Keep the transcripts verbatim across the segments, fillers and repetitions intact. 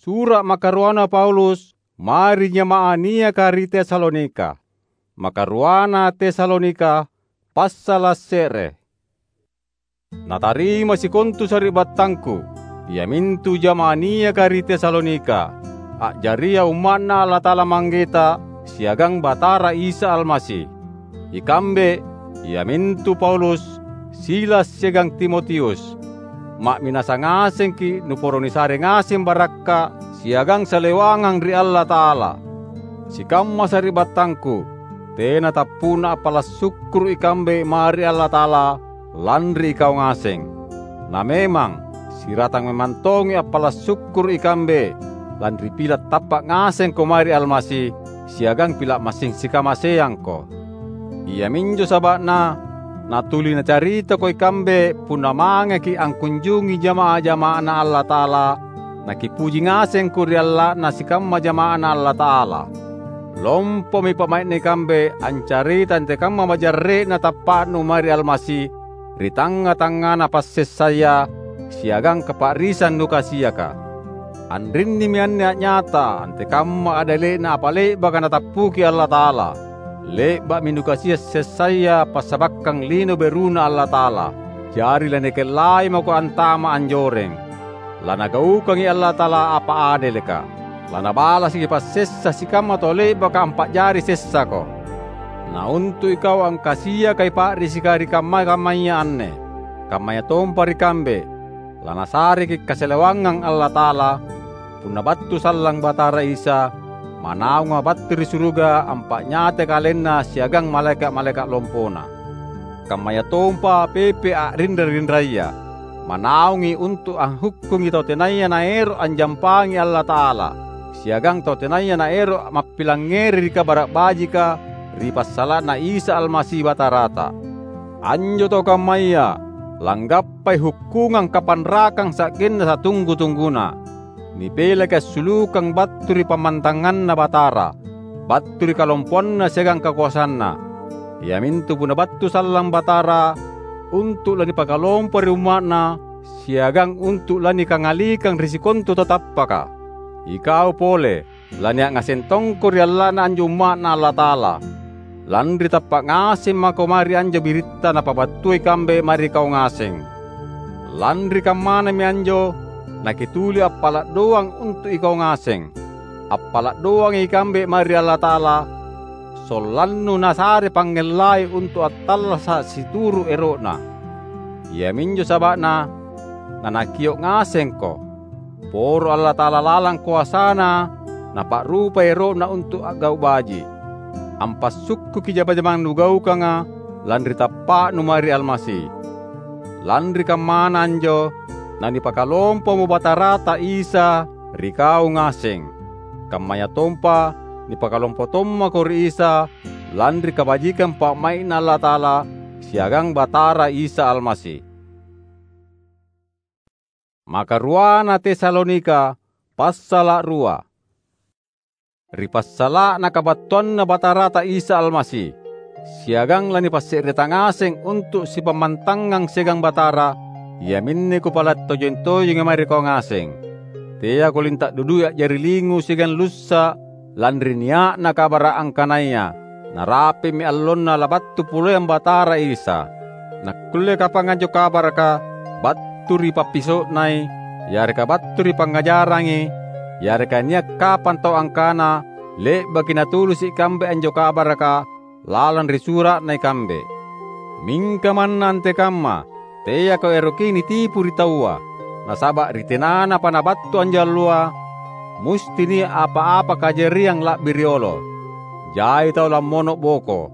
Sura’ makaruana Paulus mae ri jama'ah niaka ri Tesalonika. Makaruana Tesalonika, passala’ se're. Natarima sikontu sari'battangku, iamintu jama'ah niaka ri Tesalonika, a'jaria umma'Na Allata'ala Manggeta siagang Batara Isa Almasi. Ikambe, iamintu Paulus, Silas siagang Timotius. Ma'minasa ngasengki’ nuporo nisare ngaseng barakka’ siagang salewangang ri Allata'ala. Sikamma sari'battangku, tena tappu'na appala’ sukkuru’ ikambe mae ri Allata'ala lanri ikau ngaseng. Na memang, siratang memang tongi appala’ sukkuru’ ikambe lanri pila’ tappa’ ngasengko mae ri Almasi siagang pila’ massing sikamaseangko. Iaminjo saba'na natuli nacaritako ikambe punna mangeki’ angkunjungi jama'ah-jama'aNa Allata'ala, nakipuji ngasengko ri alla'na sikamma jama'aNa Allata'ala. Lompomi pa'mai'na ikambe ancarita antekamma majarre'na tappa'nu mae ri Almasi ri tangnga-tangngana passessaya siagang kapa'risang nukasiaka. Anrinnimi anne a'nyata antekamma a'dele'na apa le'baka Natappuki Allata'ala. Le'ba'mi nukasia’ sessaya passabakkang lino beruNa Allata'ala, jari lanikellai mako antama’ anjoreng. Lanagaukangi Allata'ala apa adeleka. Lanabalasaki passessa sikamma tau le'baka ampa'jari sessako. Na untu’ ikau angkasiakai pa'risika ri kamma-kammaya anne, kammayatompa ri kambe, lanasareki’ kasalewangang Allata'ala, punna battu sallang Batara Isa, manaunga battu ri suruga ampa'nyatai KalenNa siagang malaeka’-malaeka’ lompona. Kammayatompa pepe a'rinra-rinraya, manaungi untu’ anghukkungi tau tenaya naero’ anjampangi Allata'ala, siagang tau tenaya naero’ mappilangngeri ri Kabara’ Bajika ri passala'na Isa Almasi Batarata. Anjo tau kammaya langgappai hukkungang kapanrakang sa'genna satunggu-tungguna. Nipelaki assulukang battu ri pammantanganNa Batara, battu ri kalompoanNa siagang kakoasanNa, iamintu punna battu sallang Batara untu’ lanipakalompo ri umma'Na siagang untu’ lanikangalikang ri sikontu tau tappaka. Ikau pole, lania’ ngaseng tongko ri alla'na anjo umma'Na Allata'ala. Lanri tappa’ ngaseng mako mae ri anjo biritta napabattua ikambe mae ri kau ngaseng. Lanri kammanami anjo, nakituli appala’ doang untu’ ikau ngaseng. Appala’ doangi ikambe mae ri Allata'ala, sollannu Nasare pangngellai untu’ attallasa’ situru’ ero'Na. Iaminjo saba'na nanakio’ ngasengko. Poro Allata'ala lalang koasaNa Napa'rupai ero'Na untu’ a'gau’ baji’. Ampassukkuki jama-jamang nugaukanga lanri tappa'nu mae ri Almasi. Lanri kammana anjo, nanipakalompomo Batarata Isa ri kau ngaseng. Kammayatompa nipakalompo tommako ri Isa lanri kabajikang pa'mai'Na Allata'ala siagang Batara Isa Almasi. Makaruana Tesalonika, passala’ rua. Ri passala'na kabattuanNa Batarata Isa Almasi, siagang lanipasse'reta ngaseng untu’ sipammantangang siagang Batara, iaminne kupala’ tojeng-tojengi mae ri kau ngaseng. Teako linta’ dudui a'jari lingu siagang lussa’ lanri nia'na kabara’ angkanaya narapi'mi allonna labattu poleang Batara Isa. Nakkulle kapang anjo kabaraka battu ri pappiso'nai, yareka battu ri pangngajarangi, yareka nia’ kapang tau angkana le'baki natulisi’ ikambe anjo kabaraka lalang ri sura'na ikambe. Mingka manna antekamma, teako eroki nitipu ri taua, nasaba’ ri tenanapa nabattu anjo alloa, musti nia’ apa-apa kajariang la'bi riolo. Jai tau lammono’ boko,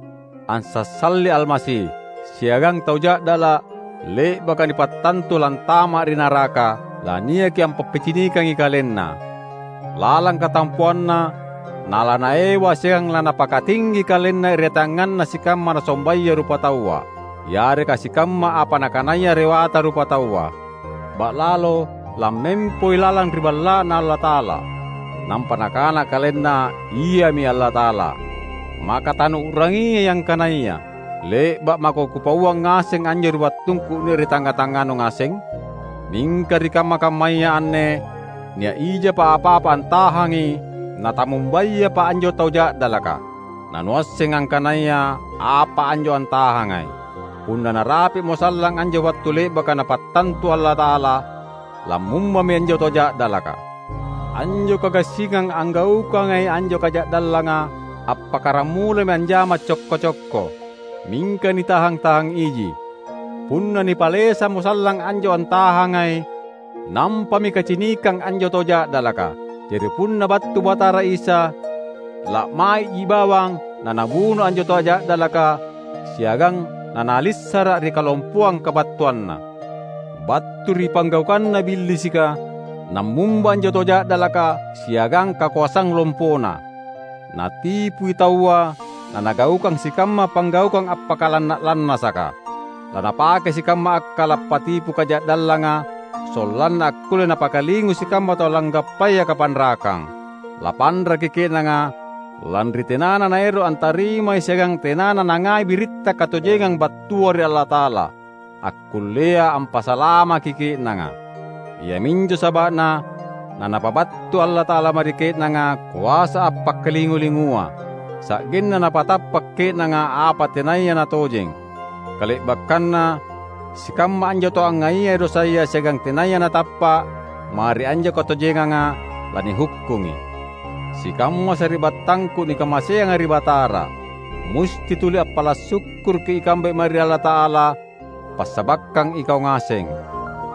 ansassalli Almasi, siagang tau ja'dala’ le'baka nipattantu lantama’ ri naraka, laniaki ampappicinikangi kalenna. Lalang katampoanna, nalanaewa siagang lanapakatinggi kalenna ri tangnganna sikamma nasombaya rupataua, yareka sikamma apa nakanaya rewata rupataua. Ba'lalo lammempoi lalang ri Balla'Na Allata'ala. Nampa nakana kalenna, "Iami Allata'ala." Maka tanuu'rangiai angkanaya le'ba’ mako kupauang ngaseng anjo ri wattungku nia’ ri tangnga-tangnganu ngaseng? Mingka ri kamma-kammaya anne, Nia’ ijapa apa-apa antahangi, natamumbayapa anjo tau ja'dalaka. Nanuasseng angkanaya apa anjo antahangai. Punna narapi'mo sallang anjo wattu le'baka Napattantu Allata'ala, lammumbami anjo tau ja'dalaka. Anjo kagassingang anggaukangai anjo kaja'dallanga appakkaramulami anjama cokko-cokko, mingka nitahang-tahang iji. Punna nipalesamo sallang anjo antahangai, nampami kacinikang anjo tau ja'dalaka. Jari punna battu Batara Isa, la'mai'ji bawang naNabuno anjo tau ja'dalaka siagang naNalissara’ ri kalompoang kabattuanNa. Battu ri panggaukanna Billisika, nammumba anjo tau ja'dalaka siagang kakoasang lompona. Natipui taua, nanagaukang sikamma panggaukang appakalanna’-lannasaka. Lanapake sikamma akkala’ patipu kaja'dallanga, sollanna akkulle napakalingu sikamma tau langgappaya kapanrakang. Lapanraki ke'nanga, lanri tenana naero’ antarimai siagang tenana nangai biritta katojengang battua ri Allata'ala. akkullea ampasalamaki ke'nanga. Iaminjo saba'na naNapabattu Allata'ala mae ri ke'nanga koasa appakkalingu-lingua, sa'genna napatappa’ ke'nanga apa tenaya natojeng. Kale'bakkanna, sikamma anjo tau angngaiai dosaya siagang tenaya natappa’ mae ri anjo katojenganga, lanihukkungi. Sikamma sari'battangku nikamaseanga ri Batara, musti tuli appala’ sukkuruki ikambe mae ri Allata'ala, passabakkang ikau ngaseng.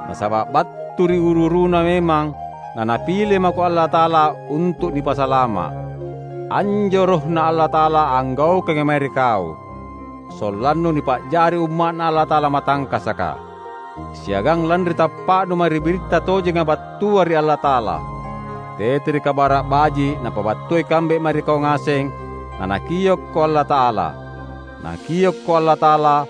Nasaba’ battu ri uru-uruna memang naNapile mako Allata'ala untu’ nipasalama’. Anjo RohNa Allata'ala anggaukangi mae ri kau, sollannu nipa'jari umma'Na Allata'ala matangkasaka, siagang lanri tappa'nu mae ri biritta tojenga battua ri Allata'ala. Tete ri Kabara’ Baji’ Napabattua ikambe mae ri kau ngaseng, naNakiokko Allata'ala. Nakiokko Allata'ala,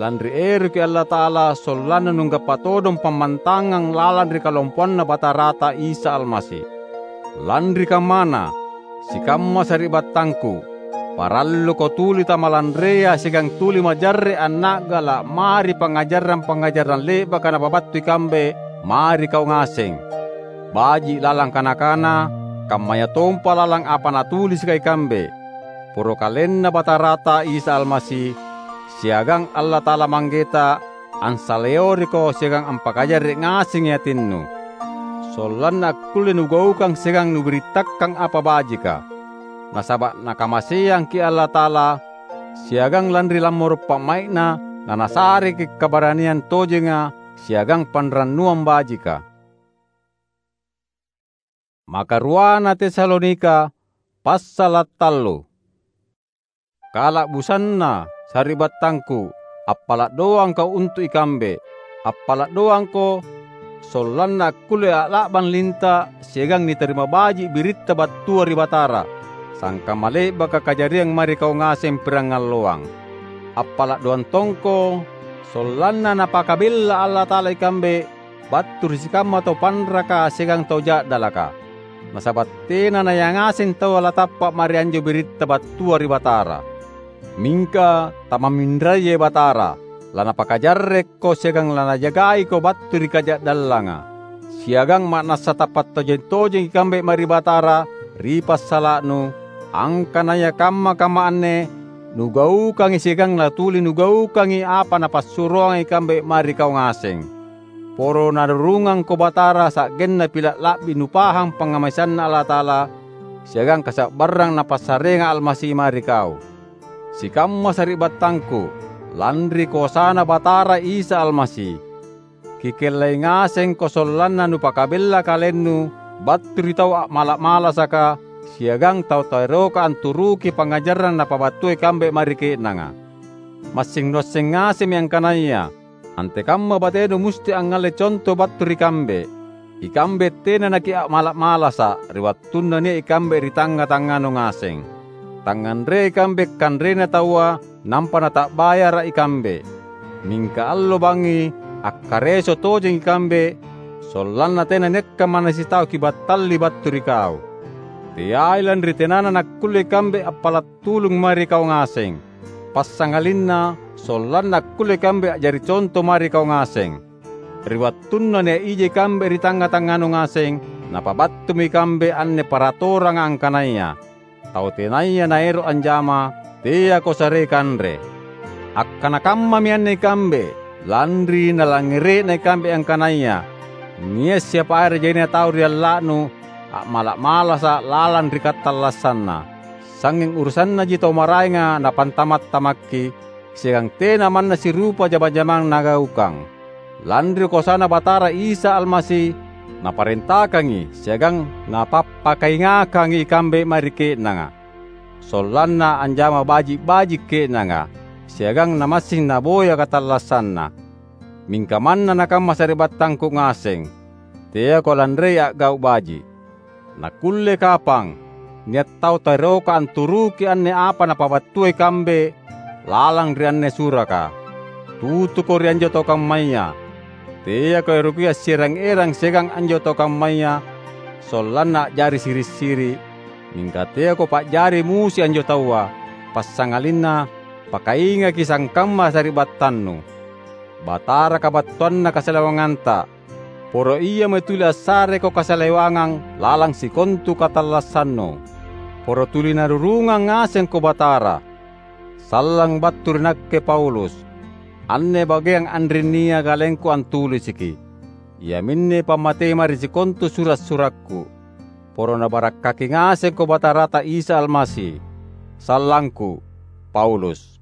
lanri eroki Allata'ala sollanna nunggappa todong pammantangang lalang ri kalompoanNa Batarata Isa Almasi. Lanri kammana, sikamma sari'battangku, paralluko tuli tamalanrea siagang tuli majarre’ anna'gala’ mae ri pangngajarang-pangngajarang le'baka napabattu ikambe mae ri kau ngaseng. Baji’ lalang kana-kana, kammayatompa lalang apa natulisika ikambe. Poro KalenNa Batarata Isa Almasi, siagang Allata'ala Manggeta ansaleoriko siagang ampakajarre’ ngasengi atinnu, sollanna akkulle nugaukang siagang nubirittakkang apa bajika. Nasaba’ Nakamaseangki Allata'ala, siagang lanri lammoro’ pa'mai'Na naNasareki’ kabaraniang tojenga siagang panrannuang bajika. Makaruana Tesalonika, passala’ tallu. Kala'busanna, sari'battangku, appala’ doangko untu’ ikambe. Appala’ doangko, sollanna akkulle a'la'bang linta’ siagang nitarima baji’ biritta battua ri Batara, sangkamma le'baka kajariang mae ri kau ngaseng pirangalloang. Appala’ doang tongko, sollanna Napakabella Allata'ala ikambe battu ri sikamma tau panraka siagang tau ja'dalaka. Nasaba’ tena nayangaseng taua latappa’ mae ri anjo biritta battua ri Batara. Mingka tamamminrayai Batara, laNapakajarrekko siagang laNajagaiko battu ri kaja'dallanga. Siagang ma'nassa tappa’ tojeng-tojeng ikambe mae ri Batara ri passala'nu, angkanaya kamma-kamma anne nugaukangi siagang natuli nugaukangi apa Napassuroanga ikambe mae ri kau ngaseng. Poro narurungangko Batara sa'genna pila’ la'bi nupahang pangngamaseanNa Allata'ala siagang kasa'barrang Napassareanga Almasi mae ri kau. Sikamma sari'battangku, lanri koasaNa Batara Isa Almasi, kikellai ngasengko sollanna nupakabella kalennu battu ri tau a'mala’-malasaka siagang tau taeroka anturuki pangngajarang napabattua ikambe mae ri ke'nanga. Massing nuasseng ngasemmi angkanaya antekamma batenu musti angngalle conto battu ri kambe. Ikambe tena nakia'mala’-malasa’ ri wattunna nia’ ikambe ri tangnga-tangnganu ngaseng. Tangnganrea ikambe kanrena taua nampa nata'bayara’ ikambe. Mingka allo bangngi akkareso tojeng ikambe, sollanna tena niakka manna sitau kibattalli battu ri kau. Teai lanri tenana nakkulle ikambe appala’ tulung mae ri kau ngaseng, passangalinna sollanna akkulle ikambe a'jari conto mae ri kau ngaseng. Ri wattunna nia’ ija ikambe ri tangnga-tangnganu ngaseng, Napabattumi ikambe anne paratoranga angkanaya, "Tau tenaya naero’ anjama, teako sarei kanre." Akkana kammami anne ikambe, lanri nalangngere'na ikambe angkanaya nia’ siapa are jaina tau ri alla'nu a'mala’-malasa’ lalang ri katallassanna. Sangnging urusannaji tau maraenga napantama’-tamakki, siagang tena manna sirupa jama-jamang nagaukang. Lanri koasaNa Batara Isa Almasi, Naparentakangi siagang Napappakaingakangi ikambe mae ri ke'nanga, sollanna anjama baji’-baji’ ke'nanga, siagang namassing naboya katallassanna. Mingka manna nakamma sari'battangku ngaseng, teako lanrei a'gau’ baji’. Nakkulle kapang nia’ tau taeroka anturuki anne apa napabattua ikambe lalang ri anne suraka. Tutuko ri anjo tau kammaya. Teako eroki assierang-erang siagang anjo tau kammaya, sollanna a'jari siri’-siri’, mingka teako pa'jari musi anjo taua, passangalinna pakaingaki sangkamma sari'battannu. Batara kabattuanna kasalewanganta, poro Ia mae tuli assareko kasalewangang lalang sikontu katallassannu. Poro tuli narurungang ngasengko Batara. Sallang battu ri nakke Paulus. Anne bageang anrinnia kalengku antulisiki, iaminne pammatei mae ri sikontu sura’-surakku. Poro Nabarakkaki ngasengko Batarata Isa Almasi. Sallangku, Paulus.